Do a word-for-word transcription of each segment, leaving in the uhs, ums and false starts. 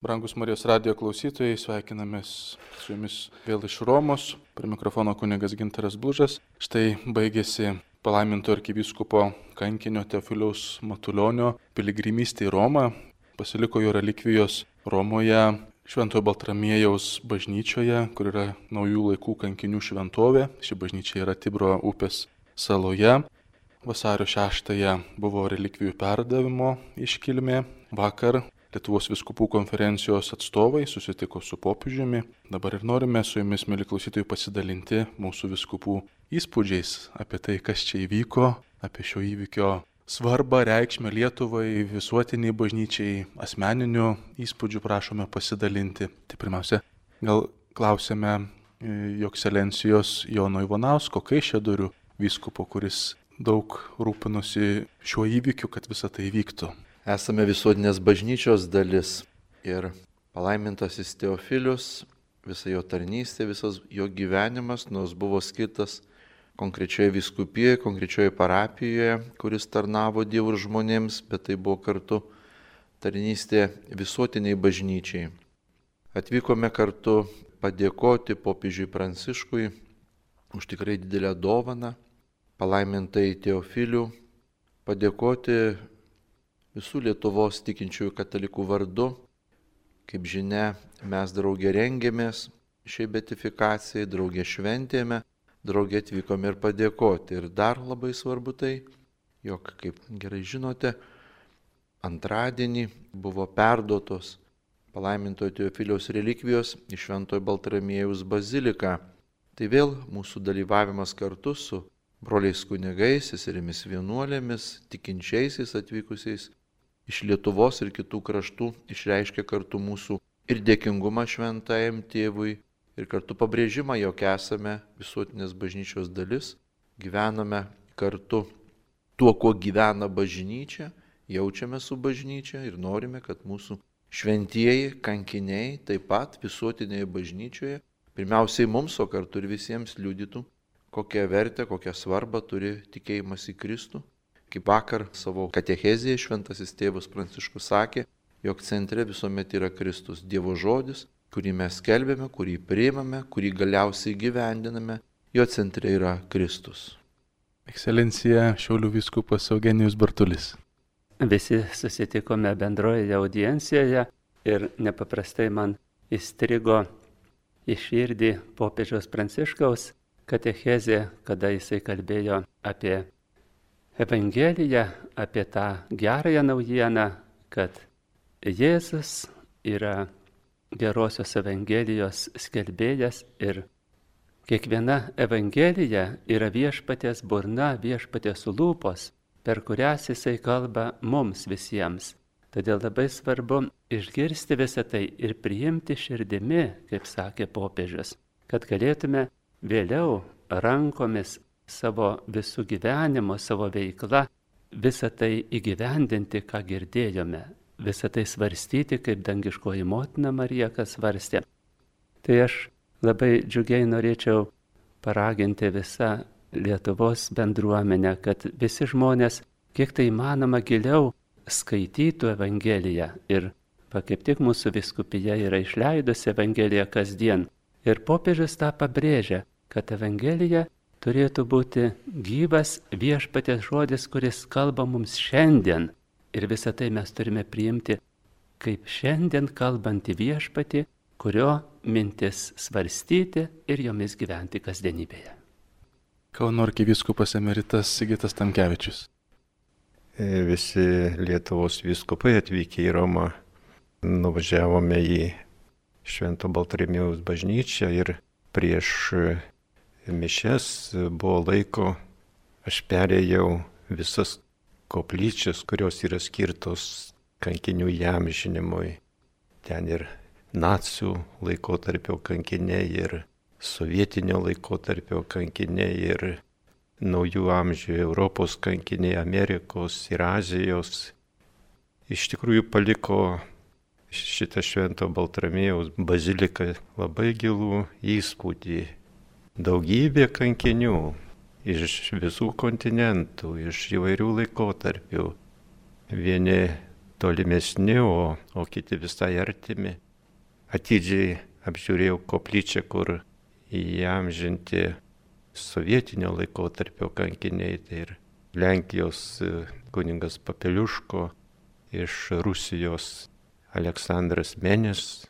Brangus Marijos radijo klausytojai, sveikinamės su jumis vėl iš Romos. Prie mikrofono kunigas Gintaras Blužas. Štai baigėsi palaiminto arkivyskupo kankinio Teofiliaus Matulionio piligrimystė į Romą. Pasiliko jo relikvijos Romoje Šventojo Baltramiejaus bažnyčioje, kur yra naujų laikų kankinių šventovė. Ši bažnyčia yra Tibro upės saloje. Vasario šeštąją buvo relikvijų perdavimo iškilmė. Vakar Lietuvos vyskupų konferencijos atstovai susitiko su popiežiumi. Dabar ir norime su jumis, mėly klausytojai, pasidalinti mūsų vyskupų įspūdžiais apie tai, kas čia įvyko, apie šio įvykio svarbą, reikšmę Lietuvai, visuotiniai bažnyčiai, asmeninių įspūdžių prašome pasidalinti. Tai pirmiausia, gal klausėme jo ekscelencijos Jono Ivanausko Kaišiadorių vyskupo, kuris daug rūpinosi šiuo įvykiu, kad visa tai vyktų. Esame visuotinės bažnyčios dalis ir palaimintasis Teofilius, visa jo tarnystė, visas jo gyvenimas, nors buvo skirtas konkrečioje vyskupijoje, konkrečioje parapijoje, kuris tarnavo Dievui ir žmonėms, bet tai buvo kartu tarnystė visuotiniai bažnyčiai. Atvykome kartu padėkoti popiežiui Pranciškui už tikrai didelę dovaną, palaimintai Teofilių, padėkoti visų Lietuvos tikinčiųjų katalikų vardu. Kaip žinia, mes draugė rengėmės šiai beatifikacijai, draugė šventėme, draugė atvykome ir padėkoti. Ir dar labai svarbu tai, jog, kaip gerai žinote, antradienį buvo perduotos palaimintojo Teofiliaus relikvijos į Šventojo Baltramiejaus baziliką. Tai vėl mūsų dalyvavimas kartu su broliais kunigais, seserimis vienuolėmis, tikinčiaisiais atvykusiais iš Lietuvos ir kitų kraštų išreiškia kartu mūsų ir dėkingumą šventajam tėvui, ir kartu pabrėžimą, jog esame visuotinės bažnyčios dalis, gyvename kartu tuo, kuo gyvena bažnyčia, jaučiame su bažnyčia ir norime, kad mūsų šventieji kankiniai taip pat visuotinėje bažnyčioje, pirmiausiai mums, o kartu ir visiems liudytų, kokią vertę, kokią svarbą turi tikėjimas į Kristų. Kaip vakar savo katechezėje šventasis tėvas Pranciškus sakė, jog centre visuomet yra Kristus, Dievo žodis, kurį mes skelbėme, kurį priimame, kurį galiausiai gyvendiname, jo centre yra Kristus. Ekscelencija Šiaulių vyskupas Eugenijus Bartulis. Visi susitikome bendroje audiencijoje ir nepaprastai man įstrigo į širdį popiežiaus Pranciškaus katechezė, kada jisai kalbėjo apie Evangeliją, apie tą gerąją naujieną, kad Jėzus yra gerosios Evangelijos skelbėjas ir kiekviena Evangelija yra viešpaties burna, viešpaties lūpos, per kurias jisai kalba mums visiems. Todėl labai svarbu išgirsti visą tai ir priimti širdimi, kaip sakė popiežius, kad galėtume vėliau rankomis savo visų gyvenimo, savo veikla, visą tai įgyvendinti, ką girdėjome, visą tai svarstyti, kaip dangiškoji motina Marija, kas svarstė. Tai aš labai džiugiai norėčiau paraginti visą Lietuvos bendruomenę, kad visi žmonės, kiek tai įmanoma, giliau skaitytų Evangeliją. Ir va, kaip tik mūsų vyskupija yra išleidusi Evangeliją kasdien. Ir popiežius tą pabrėžia, kad Evangelija turėtų būti gyvas viešpaties žodis, kuris kalba mums šiandien. Ir visą tai mes turime priimti kaip šiandien kalbantį viešpatį, kurio mintis svarstyti ir jomis gyventi kasdienybėje. Kauno arkivyskupas emeritas Sigitas Tamkevičius. Visi Lietuvos vyskupai atvykę į Romą nuvažiavome į Švento Baltramiejaus bažnyčią ir prieš mišias buvo laiko, aš perėjau visas koplyčias, kurios yra skirtos kankinių įamžinimui. Ten ir nacių laikotarpio kankiniai, ir sovietinio laikotarpio kankiniai, ir naujų amžių Europos kankiniai, Amerikos ir Azijos. Iš tikrųjų paliko šitą Švento Baltramiejaus baziliką labai gilų įspūdį. Daugybė kankinių iš visų kontinentų, iš įvairių laikotarpių. Vieni tolimesni, o, o kiti visai artimi. Atidžiai apžiūrėjau koplyčią, kur įamžinti sovietinio laikotarpio kankiniai, tai ir Lenkijos kunigas Papeliuško, iš Rusijos Aleksandras Menis,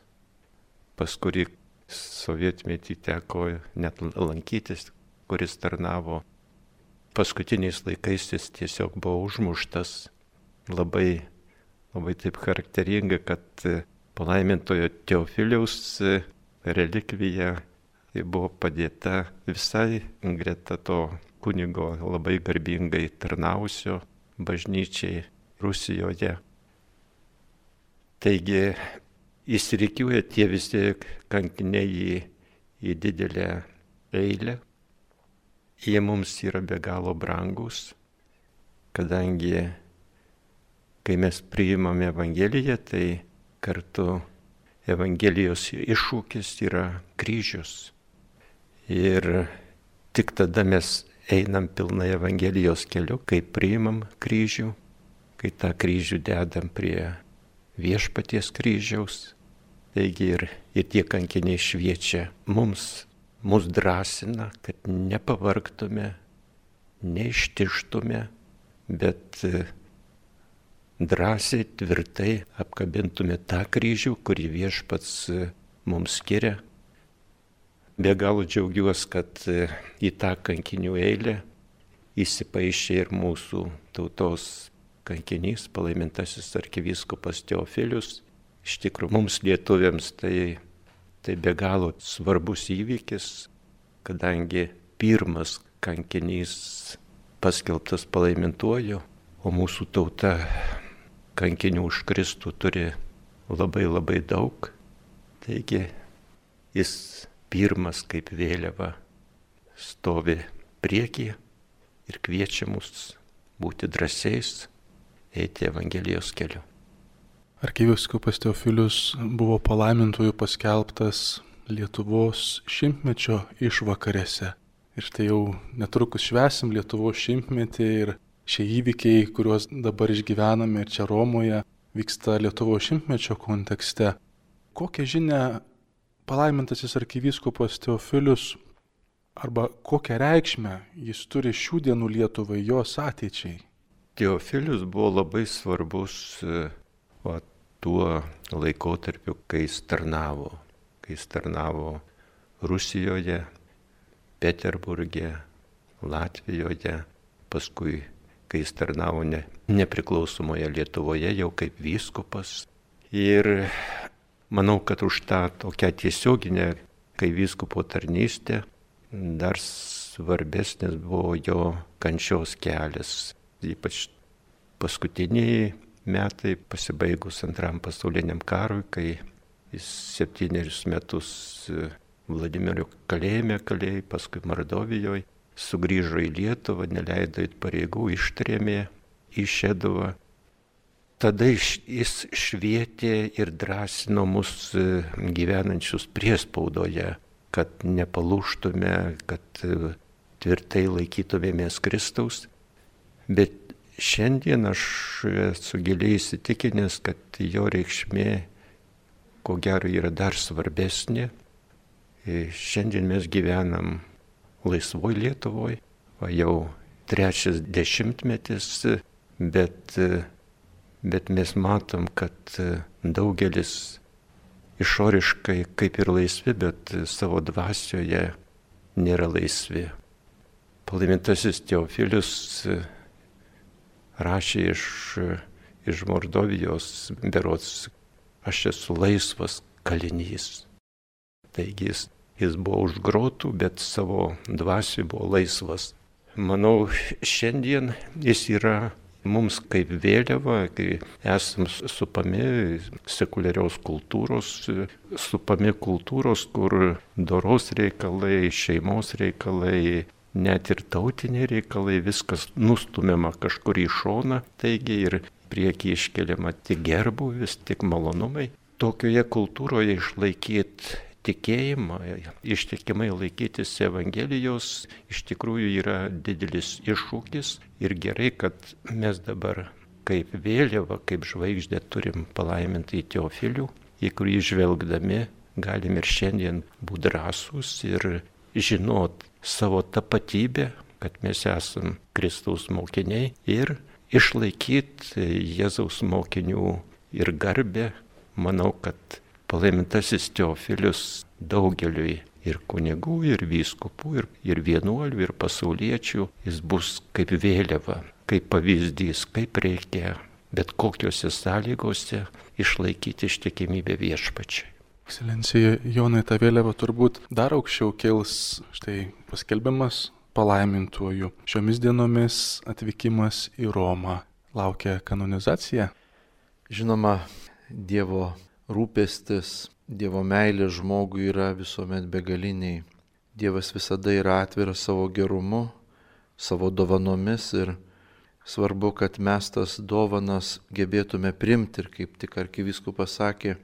pas kurį sovietmetį teko net lankytis, kuris tarnavo. Paskutiniais laikais jis tiesiog buvo užmuštas. Labai, labai taip charakteringa, kad palaimintojo Teofiliaus relikvija buvo padėta visai greta to kunigo labai garbingai tarnausio bažnyčiai Rusijoje. Taigi įsirikiuoja tie visi kankiniai į, į didelę eilę. Jie mums yra be galo brangus, kadangi kai mes priimame Evangeliją, tai kartu Evangelijos iššūkis yra kryžius. Ir tik tada mes einam pilnai Evangelijos keliu, kai priimam kryžių, kai tą kryžių dedam prie viešpaties kryžiaus. Taigi ir, ir tie kankiniai šviečia mums, mus drąsina, kad nepavargtume, neištištume, bet drąsiai, tvirtai apkabintume tą kryžių, kurį viešpats mums skiria. Be galo džiaugiuosi, kad į tą kankinių eilę įsipaišė ir mūsų tautos kankinys, palaimintasis arkivyskupas Teofilius. Iš tikrųjų, mums lietuviams tai, tai be galo svarbus įvykis, kadangi pirmas kankinys paskelbtas palaimintuoju, o mūsų tauta kankinių už Kristų turi labai labai daug. Taigi jis pirmas kaip vėliava stovi priekyje ir kviečia mus būti drąsiais, eiti Evangelijos keliu. Arkivyskupas Teofilius buvo palaimintojų paskelbtas Lietuvos šimtmečio išvakarėse. Ir štai jau netrukus švęsim Lietuvos šimtmetį ir šie įvykiai, kuriuos dabar išgyvename ir čia Romoje, vyksta Lietuvos šimtmečio kontekste. Kokią žinią palaimintasis arkivyskupas Teofilius arba kokią reikšmę jis turi šių dienų Lietuvai, jos ateičiai? Teofilius buvo labai svarbus o, tuo laikotarpiu, kai jis tarnavo. Kai jis tarnavo Rusijoje, Peterburge, Latvijoje, paskui, kai jis tarnavo ne, nepriklausomoje Lietuvoje jau kaip vyskupas. Ir manau, kad už tą tokią tiesioginę, kai vyskupo tarnystę, dar svarbesnis buvo jo kančios kelias. Ypač paskutiniai metai pasibaigus Antram pasauliniam karui, kai jis septynerius metus Vladimiro kalėjime kalėjo, paskui Mordovijoje, sugrįžo į Lietuvą, neleido eit pareigų, ištrėmė į Šeduvą. Tada jis švietė ir drąsino mus gyvenančius priespaudoje, kad nepalūžtume, kad tvirtai laikytumėmės Kristaus. Bet šiandien aš esu giliai įsitikinęs, kad jo reikšmė, ko gero, yra dar svarbesnė. Šiandien mes gyvenam laisvoj Lietuvoj, o jau trečias dešimtmetis, bet, bet mes matom, kad daugelis išoriškai kaip ir laisvi, bet savo dvasioje nėra laisvi. Palaimintasis Teofilius rašė iš, iš Mordovijos, berods, aš esu laisvas kalinys. Taigi jis, jis buvo už grotų, bet savo dvasiui buvo laisvas. Manau, šiandien jis yra mums kaip vėliava, kai esam supami sekuliarios kultūros, supami kultūros, kur doros reikalai, šeimos reikalai, net ir tautiniai reikalai, viskas nustumiama kažkur į šoną, taigi ir priekį iškeliama tik gerbūvis, tik malonumai. Tokioje kultūroje išlaikyti tikėjimą, ištikimai laikytis Evangelijos iš tikrųjų yra didelis iššūkis ir gerai, kad mes dabar kaip vėliava, kaip žvaigždė turim palaimintąjį Teofilių, į kurį žvelgdami galim ir šiandien būti drąsūs ir žinot savo tapatybę, kad mes esam Kristaus mokiniai ir išlaikyti Jėzaus mokinių ir garbę. Manau, kad palaimintasis Teofilius daugeliui ir kunigų, ir vyskupų, ir, ir vienuolių, ir pasauliečių, jis bus kaip vėliava, kaip pavyzdys, kaip reikia bet kokiuose sąlygose išlaikyti ištikimybę viešpačiai. Ekscelencija Jonai, ta vėliava turbūt dar aukščiau kils, štai paskelbimas palaimintuoju. Šiomis dienomis atvykimas į Romą. Laukia kanonizacija? Žinoma, Dievo rūpestis, Dievo meilė žmogui yra visuomet begaliniai. Dievas visada yra atviras savo gerumu, savo dovanomis ir svarbu, kad mes tas dovanas gebėtume primti. Ir kaip tik arkivyskupas sakė,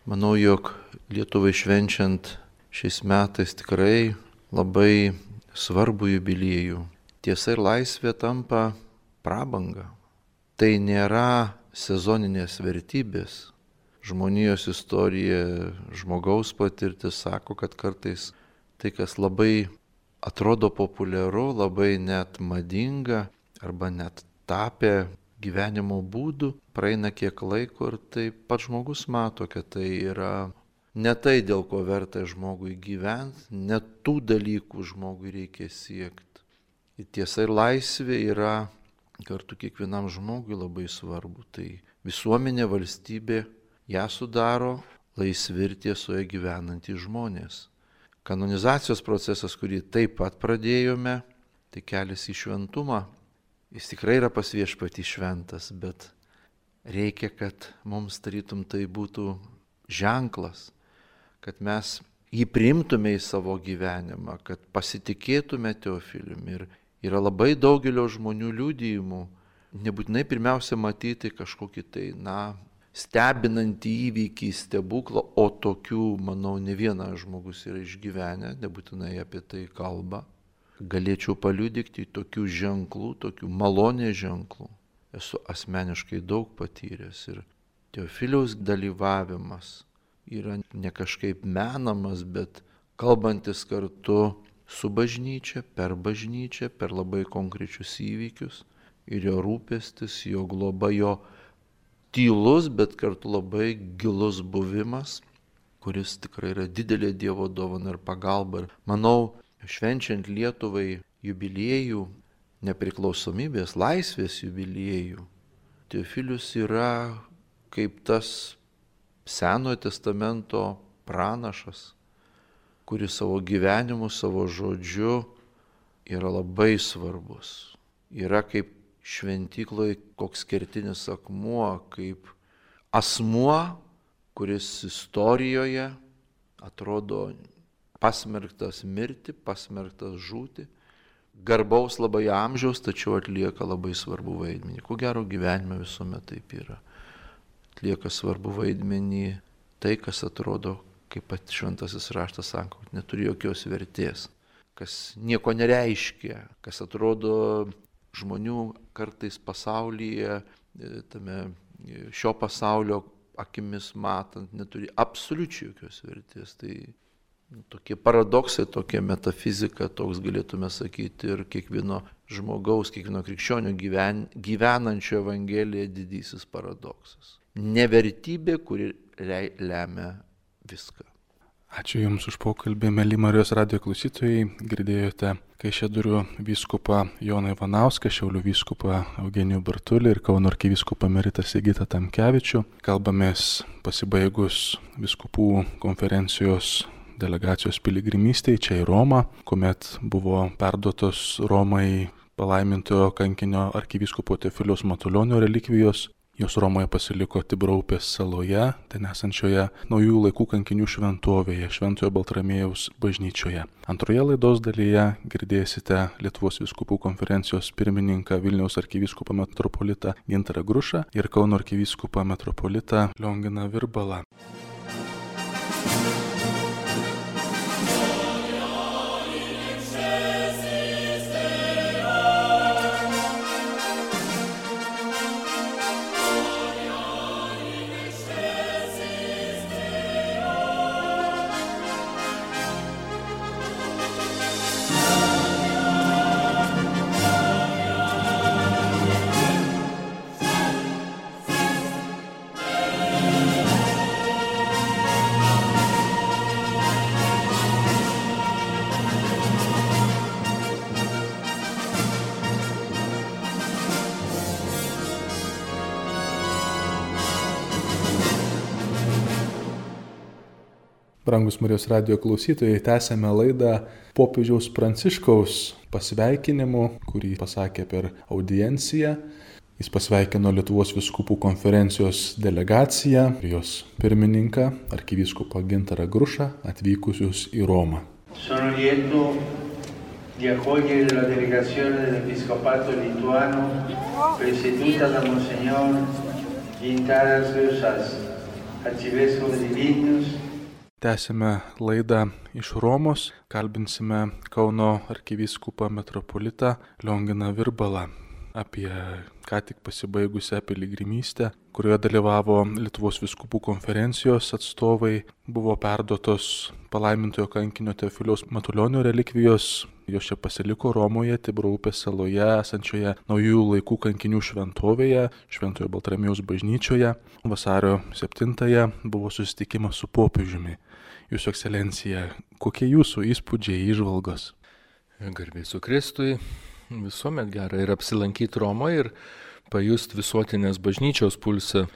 manau, jog Lietuvai švenčiant šiais metais tikrai labai svarbų jubiliejų. Tiesa ir laisvė tampa prabanga. Tai nėra sezoninės vertybės. Žmonijos istorija, žmogaus patirtis sako, kad kartais tai, kas labai atrodo populiaru, labai net madinga arba net tapę gyvenimo būdu, praeina kiek laiko ir tai pats žmogus mato, kad tai yra ne tai, dėl ko verta žmogui gyventi, ne tų dalykų žmogui reikia siekti. Ir tiesa ir laisvė yra kartu kiekvienam žmogui labai svarbu. Tai visuomenė, valstybė, ją sudaro laisvi ir tiesoje gyvenantys žmonės. Kanonizacijos procesas, kurį taip pat pradėjome, tai kelias į šventumą. Jis tikrai yra pas Viešpatį šventas, bet reikia, kad mums tarytum tai būtų ženklas, kad mes jį priimtume į savo gyvenimą, kad pasitikėtume Teofiliumi. Ir yra labai daugelio žmonių liudijimų, nebūtinai pirmiausia matyti kažkokį tai, na, stebinantį įvykį, stebuklą, o tokių, manau, ne vienas žmogus yra išgyvenę, nebūtinai apie tai kalba. Galėčiau paliudyti tokių ženklų, tokių malonės ženklų. Esu asmeniškai daug patyręs ir Teofiliaus dalyvavimas yra ne kažkaip menamas, bet kalbantis kartu su bažnyčia, per bažnyčią, per labai konkrečius įvykius ir jo rūpestis, jo globa, jo tylus, bet kartu labai gilus buvimas, kuris tikrai yra didelė Dievo dovana ir pagalba. Ir manau, švenčiant Lietuvai jubiliejų, nepriklausomybės, laisvės jubiliejų, Teofilius yra kaip tas Senojo testamento pranašas, kuris savo gyvenimu, savo žodžiu yra labai svarbus. Yra kaip šventykloje koks kertinis akmuo, kaip asmuo, kuris istorijoje atrodo pasmerktas mirti, pasmerktas žūti, garbaus labai amžiaus, tačiau atlieka labai svarbu vaidmenį. Ko gero gyvenime visuomet taip yra. Atlieka svarbu vaidmenį tai, kas atrodo, kaip pat šventasis raštas sako, neturi jokios vertės, kas nieko nereiškia, kas atrodo žmonių kartais pasaulyje, tame šio pasaulio akimis matant, neturi absoliučiai jokios vertės. Tai tokie paradoksai, tokia metafizika, toks galėtume sakyti, ir kiekvieno žmogaus, kiekvieno krikščionio gyven, gyvenančio Evangeliją didysis paradoksas. Nevertybė, kuri lemia viską. Ačiū Jums už pokalbį, mėly Marijos radijo klausytojai. Girdėjote Kaišiadorių vyskupą Joną Ivanauską, Šiaulių vyskupą Eugenijų Bartulį ir Kauno arkivyskupą emeritą Sigitą Tamkevičių. Kalbamės pasibaigus vyskupų konferencijos delegacijos piligrimystėje čia į Romą, kuomet buvo perduotos Romai palaimintojo kankinio arkivyskupo Teofiliaus Matulionio relikvijos. Jos Romoje pasiliko Tibraupės saloje, ten esančioje naujųjų laikų kankinių šventovėje, Šventojo Baltramiejaus bažnyčioje. Antroje laidos dalyje girdėsite Lietuvos vyskupų konferencijos pirmininką Vilniaus arkivyskupą metropolitą Gintarą Grušą ir Kauno arkivyskupą metropolitą Lionginą Virbalą. Brangus Marijos radijo klausytojai, tęsėme laidą popiežiaus Pranciškaus pasveikinimu, kurį pasakė per audienciją. Jis pasveikino Lietuvos vyskupų konferencijos delegaciją ir jos pirmininką, arkivyskupą Gintarą Grušą, atvykusius į Romą. Sono lieto di accogliere la delegazione dell'Episcopato lituano presieduta da Monsignor Gintaras Grušas, arcivescovo di Vilnius. Tęsime laidą iš Romos, kalbinsime Kauno arkivyskupą metropolitą Lionginą Virbalą apie ką tik pasibaigusią piligrimystę, kurioje dalyvavo Lietuvos vyskupų konferencijos atstovai, buvo perduotos palaimintojo kankinio Teofiliaus Matulionio relikvijos. Jos čia pasiliko Romoje, Tibro upės saloje esančioje naujųjų laikų kankinių šventovėje, Šventojo Baltramiejos bažnyčioje. Vasario septintąją buvo susitikimas su popiežiumi. Jūsų ekscelencija, kokie jūsų įspūdžiai, įžvalgos? Garbė su Kristui, visuomet gera ir apsilankyti Romoje ir pajusti visuotinės bažnyčios pulsą.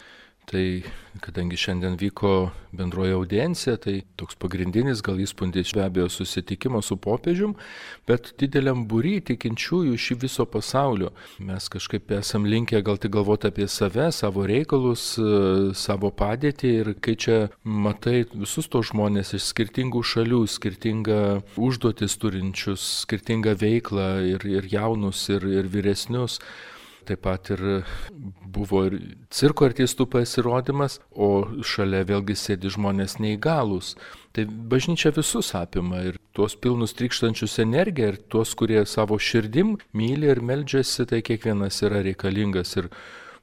Tai kadangi šiandien vyko bendroji audiencija, tai toks pagrindinis gal įspūdis be abejo susitikimo su popiežium, bet dideliam būry tikinčiųjų iš viso pasaulio. Mes kažkaip esam linkę gal tik galvoti apie save, savo reikalus, savo padėtį ir kai čia matai visus tos žmonės iš skirtingų šalių, skirtingą užduotis turinčius, skirtingą veiklą ir, ir jaunus, ir, ir vyresnius. Taip pat ir buvo ir cirko artistų pasirodymas, o šalia vėlgi sėdi žmonės neįgalūs. Tai bažnyčia visus apima ir tuos pilnus trykštančius energiją ir tuos, kurie savo širdim myli ir meldžiasi, tai kiekvienas yra reikalingas ir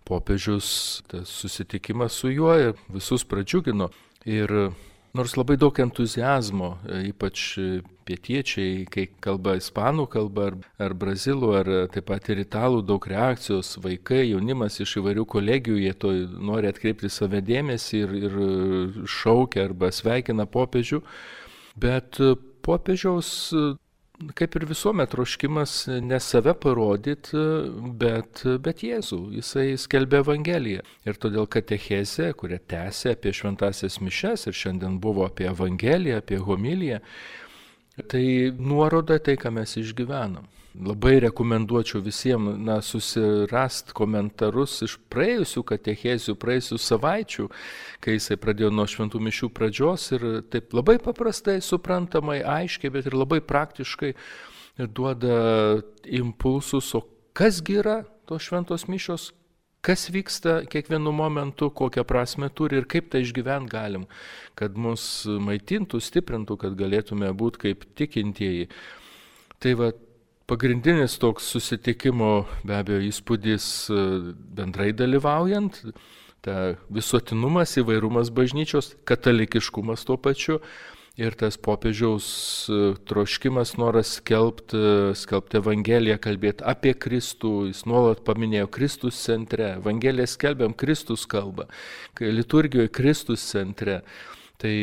popiežius, tas susitikimas su juo visus pradžiugino. Ir nors labai daug entuziazmo, ypač pietiečiai, kai kalba ispanų kalba ar, ar brazilų, ar taip pat ir italų, daug reakcijos, vaikai, jaunimas iš įvairių kolegijų, jie to nori atkreipti save dėmesį ir, ir šaukia arba sveikina popiežių. Bet popiežiaus, kaip ir visuomet, troškimas ne save parodyti, bet, bet Jėzų. Jisai skelbė Evangeliją. Ir todėl katechezė, kurią tęsė apie šventąsias mišias ir šiandien buvo apie Evangeliją, apie homiliją, tai nuoroda tai, ką mes išgyvenam. Labai rekomenduočiau visiems na, susirast komentarus iš praėjusių katechezių, praėjusių savaičių, kai jisai pradėjo nuo šventų mišių pradžios ir taip labai paprastai, suprantamai, aiškiai, bet ir labai praktiškai duoda impulsus, o kasgi yra tos šventos mišios, kas vyksta kiekvienu momentu, kokią prasme turi ir kaip tai išgyvent galim, kad mus maitintų, stiprintų, kad galėtume būti kaip tikintieji. Tai va, pagrindinis toks susitikimo be abejo įspūdis bendrai dalyvaujant, ta visuotinumas, įvairumas bažnyčios, katalikiškumas tuo pačiu ir tas popiežiaus troškimas, noras skelbti, skelbti Evangeliją, kalbėti apie Kristų, jis nuolat paminėjo Kristus centre, Evangeliją skelbiam, Kristus kalba, liturgijoje Kristus centre, tai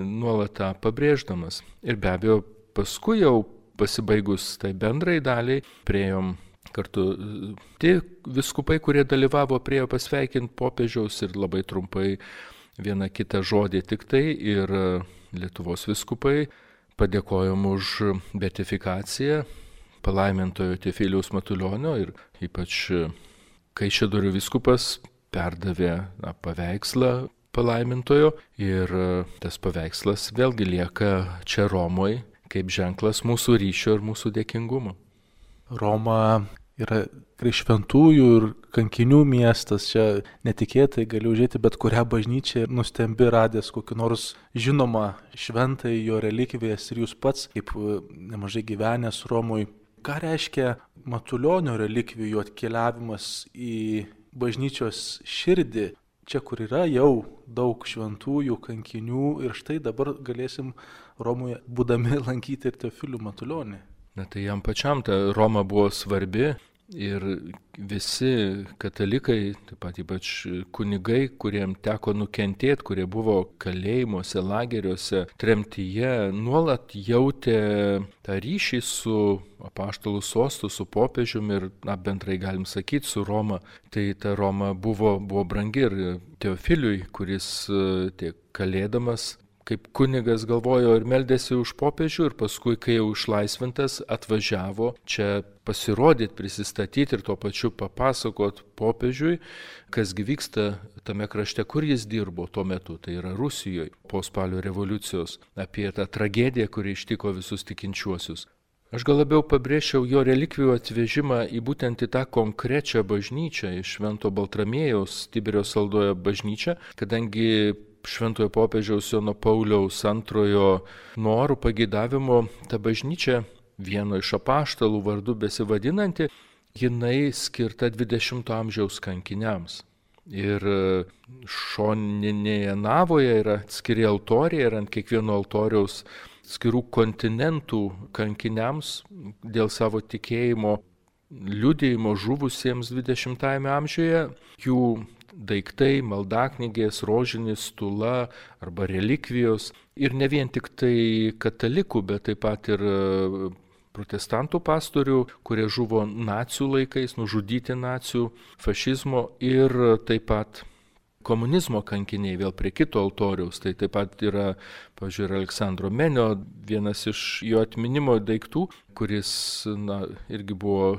nuolat tą pabrėždamas. Ir be abejo paskui jau pasibaigus tai bendrai daliai, priejom kartu tie vyskupai, kurie dalyvavo, priejo pasveikinti popiežiaus ir labai trumpai vieną kitą žodį tik tai ir Lietuvos vyskupai padėkojom už beatifikaciją palaimintojo Teofiliaus Matulionio ir ypač Kaišiadorių vyskupas perdavė na, paveikslą palaimintojo ir tas paveikslas vėlgi lieka čia Romoje kaip ženklas mūsų ryšio ir mūsų dėkingumo. Roma yra šventųjų ir kankinių miestas, čia netikėtai gali užėti bet kurią bažnyčią ir nustembi radęs kokį nors žinomą šventąjį jo relikvijas ir jūs pats, kaip nemažai gyvenęs Romoje, ką reiškia Matulionio relikvijų atkeliavimas į bažnyčios širdį, čia kur yra jau daug šventųjų kankinių ir štai dabar galėsim Romoje būdami lankyti ir Teofilių Matulionį. Na tai jam pačiam ta Roma buvo svarbi ir visi katalikai, taip pat ypač kunigai, kuriem teko nukentėti, kurie buvo kalėjimuose, lageriuose, tremtyje, nuolat jautė tą ryšį su apaštalų sostu, su popiežiumi ir na, bendrai galim sakyti su Roma. Tai ta Roma buvo, buvo brangi ir Teofiliui, kuris tiek kalėdamas kaip kunigas galvojo ir meldėsi už popiežių ir paskui, kai jau išlaisvintas, atvažiavo čia pasirodyti, prisistatyti ir tuo pačiu papasakot popiežiui, kasgi vyksta tame krašte, kur jis dirbo tuo metu, tai yra Rusijoje po spalio revoliucijos, apie tą tragediją, kuri ištiko visus tikinčiuosius. Aš gal labiau pabrėžčiau jo relikvijų atvežimą į būtent į tą konkrečią bažnyčią, iš Švento Baltramiejaus Tiberio saldoje bažnyčią, kadangi Šventojo popiežiaus Jono Pauliaus antrojo norų pageidavimu ta bažnyčia, vieno iš apaštalų vardu besivadinanti, jinai skirta dvidešimto amžiaus kankiniams. Ir šoninėje navoje yra atskiri altoriai ir ant kiekvieno altoriaus skirų kontinentų kankiniams dėl savo tikėjimo liudijimo žuvusiems dvidešimtajame amžiuje, jų daiktai, maldaknygės, rožinis, stula arba relikvijos ir ne vien tik tai katalikų, bet taip pat ir protestantų pastorių, kurie žuvo nacių laikais, nužudyti nacių, fašizmo ir taip pat komunizmo kankiniai vėl prie kito altoriaus. Tai taip pat yra, pavyzdžiui, Aleksandro Menio vienas iš jo atminimo daiktų, kuris na, irgi buvo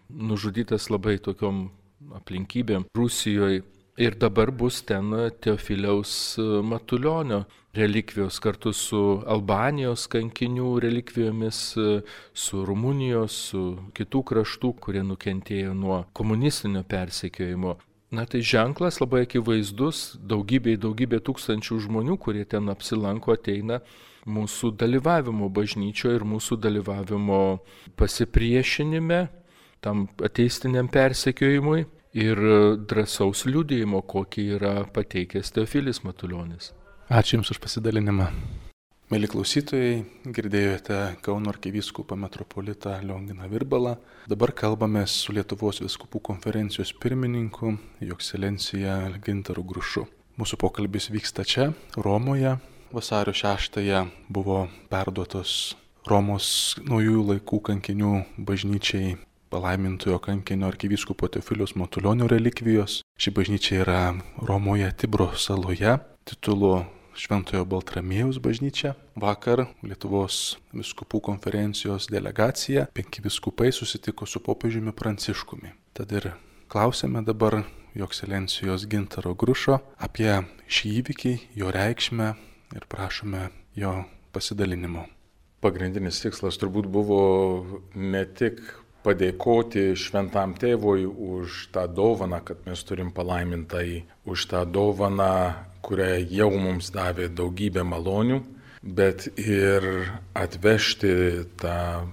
nužudytas labai tokiom aplinkybėm Rusijoje. Ir dabar bus ten Teofiliaus Matulionio relikvijos kartu su Albanijos kankinių relikvijomis, su Rumunijos, su kitų kraštų, kurie nukentėjo nuo komunistinio persekiojimo. Na tai ženklas labai akivaizdus, daugybė, daugybė tūkstančių žmonių, kurie ten apsilanko, ateina mūsų dalyvavimo bažnyčioje ir mūsų dalyvavimo pasipriešinime, tam ateistiniam persekiojimui ir drąsaus liudijimo, kokį yra pateikęs Teofilis Matulionis. Ačiū Jums už pasidalinimą. Mėly klausytojai, girdėjote Kauno arkivyskupą metropolitą Lionginą Virbalą. Dabar kalbame su Lietuvos vyskupų konferencijos pirmininku, Jo ekscelencija Gintaru Grušu. Mūsų pokalbis vyksta čia, Romoje. Vasario šeštąją buvo perduotos Romos naujųjų laikų kankinių bažnyčiai palaimintojo kankinio arkivyskupo Teofiliaus Matulionio relikvijos. Ši bažnyčia yra Romoje Tibro saloje, titulu Šventojo Baltramiejaus bažnyčia. Vakar Lietuvos vyskupų konferencijos delegacija, penki vyskupai susitiko su popiežiumi Pranciškumi. Tad ir klausėme dabar Jo ekscelencijos Gintaro Grušo apie šį įvykį, jo reikšmę ir prašome jo pasidalinimo. Pagrindinis tikslas turbūt buvo ne tik padėkoti šventam tėvui už tą dovaną, kad mes turim palaimintai, už tą dovaną, kurią jau mums davė daugybę malonių, bet ir atvežti tą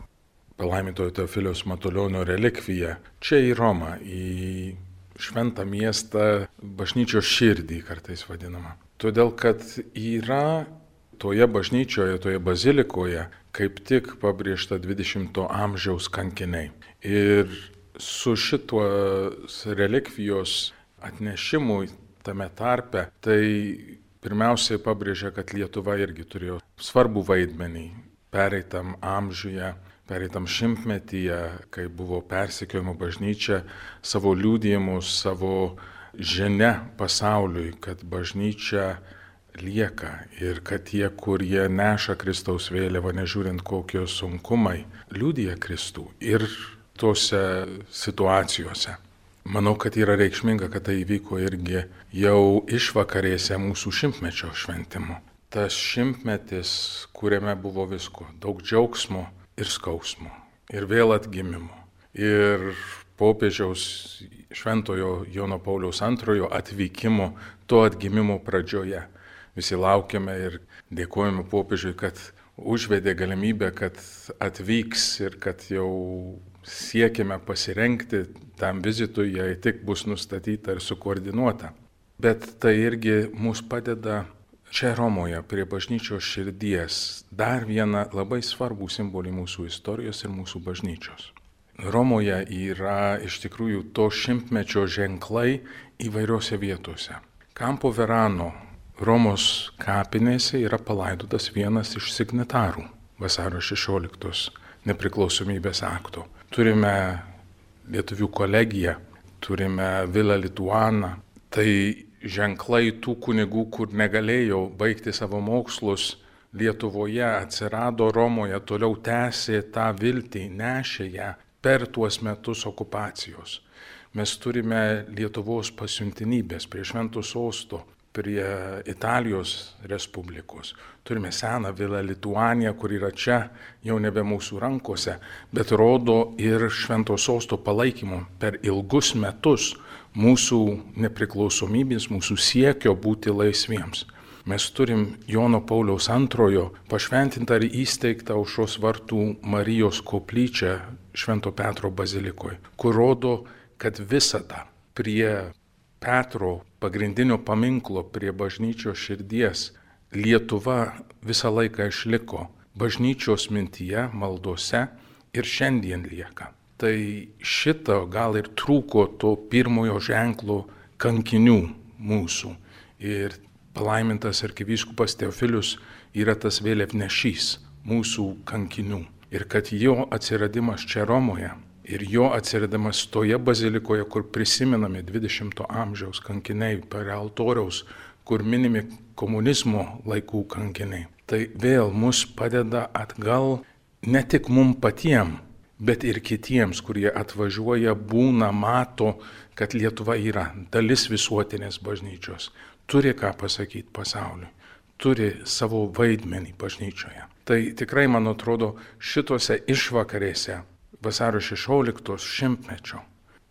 palaimintojo Teofiliaus Matulionio relikviją čia į Romą, į šventą miestą, bažnyčios širdį kartais vadinama. Todėl, kad yra toje bažnyčioje, toje bazilikoje kaip tik pabrėžta dvidešimto amžiaus kankiniai. Ir su šituos relikvijos atnešimui tame tarpe, tai pirmiausiai pabrėžia, kad Lietuva irgi turėjo svarbų vaidmenį pereitam amžiuje, pereitam šimtmetyje, kai buvo persekiojama bažnyčia, savo liudijimus, savo žinia pasauliui, kad bažnyčia lieka ir kad tie, kurie neša Kristaus vėliavą, nežiūrint kokie sunkumai, liudija Kristų ir tose situacijose. Manau, kad yra reikšminga, kad tai įvyko irgi jau išvakarėse mūsų šimtmečio šventimo. Tas šimtmetis, kuriame buvo visko, daug džiaugsmo ir skausmo, ir vėl atgimimo. Ir popiežiaus šventojo Jono Pauliaus antrojo atvykimo, to atgimimo pradžioje. Visi laukiame ir dėkojame popiežiui, kad užvedė galimybę, kad atvyks ir kad jau siekime pasirengti tam vizitui, jei tik bus nustatyta ir sukoordinuota. Bet tai irgi mus padeda čia Romoje, prie bažnyčios širdies, dar vieną labai svarbų simbolį mūsų istorijos ir mūsų bažnyčios. Romoje yra iš tikrųjų to šimtmečio ženklai įvairiose vietose. Campo Verano Romos kapinėse yra palaidotas vienas iš signatarų vasario šešioliktos nepriklausomybės akto. Turime Lietuvių kolegiją, turime Villa Lituana. Tai ženklai tų kunigų, kur negalėjo baigti savo mokslus Lietuvoje, atsirado Romoje, toliau tęsė tą viltį, nešė ją per tuos metus okupacijos. Mes turime Lietuvos pasiuntinybės prie Švento Sosto, prie Italijos Respublikos. Turime seną vilą Lituaniją, kur yra čia, jau nebe mūsų rankose, bet rodo ir Švento Sosto palaikymo per ilgus metus mūsų nepriklausomybės, mūsų siekio būti laisviems. Mes turim Jono Pauliaus antrojo pašventintą ir įsteigtą Aušros vartų Marijos koplyčią Švento Petro bazilikoje, kur rodo, kad visada prie Petro pagrindinio paminklo, prie bažnyčios širdies Lietuva visą laiką išliko bažnyčios mintyje, maldose ir šiandien lieka. Tai šito gal ir trūko to pirmojo ženklo kankinių mūsų. Ir palaimintas arkivyskupas Teofilius yra tas vėliavnešys mūsų kankinių. Ir kad jo atsiradimas čia Romoje ir jo atsiradimas toje bazilikoje, kur prisimenami dvidešimto amžiaus kankiniai prie altoriaus, kur minimi komunizmo laikų kankiniai, tai vėl mus padeda atgal ne tik mum patiem, bet ir kitiems, kurie atvažiuoja, būna, mato, kad Lietuva yra dalis visuotinės bažnyčios, turi ką pasakyti pasauliui, turi savo vaidmenį bažnyčioje. Tai tikrai, man atrodo, šitose išvakarėse vasario šešioliktos šimtmečio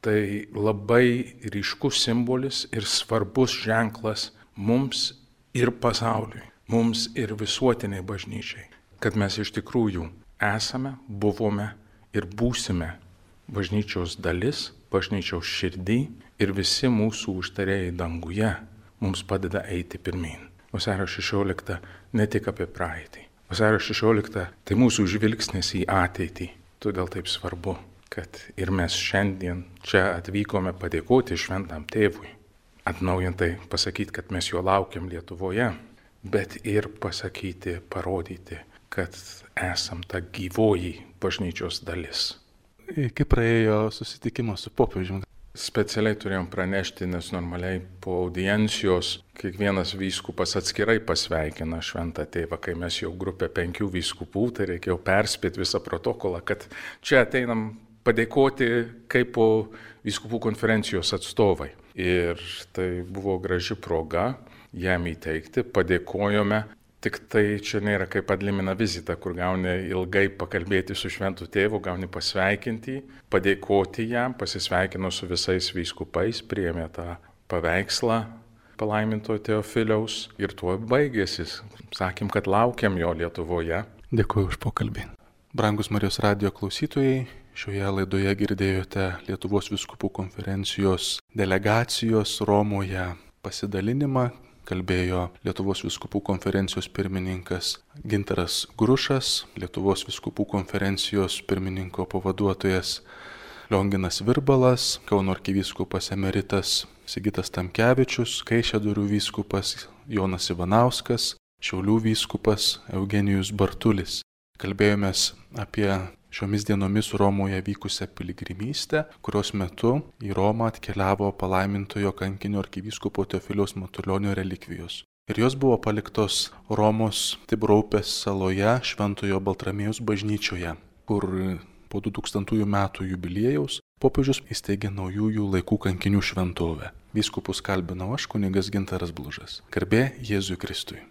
tai labai ryškus simbolis ir svarbus ženklas mums ir pasauliui, mums ir visuotiniai bažnyčiai, kad mes iš tikrųjų esame, buvome ir būsime bažnyčios dalis, bažnyčios širdį ir visi mūsų užtarėjai danguje mums padeda eiti pirmyn. Vasario šešiolikta ne tik apie praeitį. Vasario šešiolikta tai mūsų žvilgsnis į ateitį. Todėl taip svarbu, kad ir mes šiandien čia atvykome padėkoti šventam tėvui, atnaujintai pasakyti, kad mes jo laukiam Lietuvoje, bet ir pasakyti, parodyti, kad esam ta gyvoji bažnyčios dalis. Kaip praėjo susitikimas su popiežiumi? Specialiai turėjom pranešti, nes normaliai po audiencijos kiekvienas vyskupas atskirai pasveikina šventą tėvą. Kai mes jau grupė penkių vyskupų, tai reikėjo perspėti visą protokolą, kad čia ateinam padėkoti kaip po vyskupų konferencijos atstovai. Ir tai buvo graži proga jam įteikti, padėkojome. Tik tai čia nėra kaip adlimina vizita, kur gauni ilgai pakalbėti su šventu tėvu, gauni pasveikinti, padėkoti jam, pasisveikino su visais vyskupais, priėmė tą paveikslą palaiminto Teofiliaus ir tuo baigėsi. Sakėm, kad laukiam jo Lietuvoje. Dėkuoju už pokalbį. Brangus Marijos radijo klausytojai, šioje laidoje girdėjote Lietuvos vyskupų konferencijos delegacijos Romoje pasidalinimą. Kalbėjo Lietuvos vyskupų konferencijos pirmininkas Gintaras Grušas, Lietuvos vyskupų konferencijos pirmininko pavaduotojas Lionginas Virbalas, Kauno arkivyskupas emeritas Sigitas Tamkevičius, Kaišiadorių vyskupas Jonas Ivanauskas, Šiaulių vyskupas Eugenijus Bartulis. Kalbėjomės apie šiomis dienomis Romoje vykusią piligrimystę, kurios metu į Romą atkeliavo palaimintojo kankinio arkivyskupo Teofiliaus Matulionio relikvijos. Ir jos buvo paliktos Romos Tibro upės saloje Šventojo Baltramiejaus bažnyčioje, kur po du tūkstantųjų metų jubiliejaus popiežius įsteigė naujųjų laikų kankinių šventovę. Vyskupus kalbinau aš, kunigas Gintaras Blužas. Garbė Jėzui Kristui.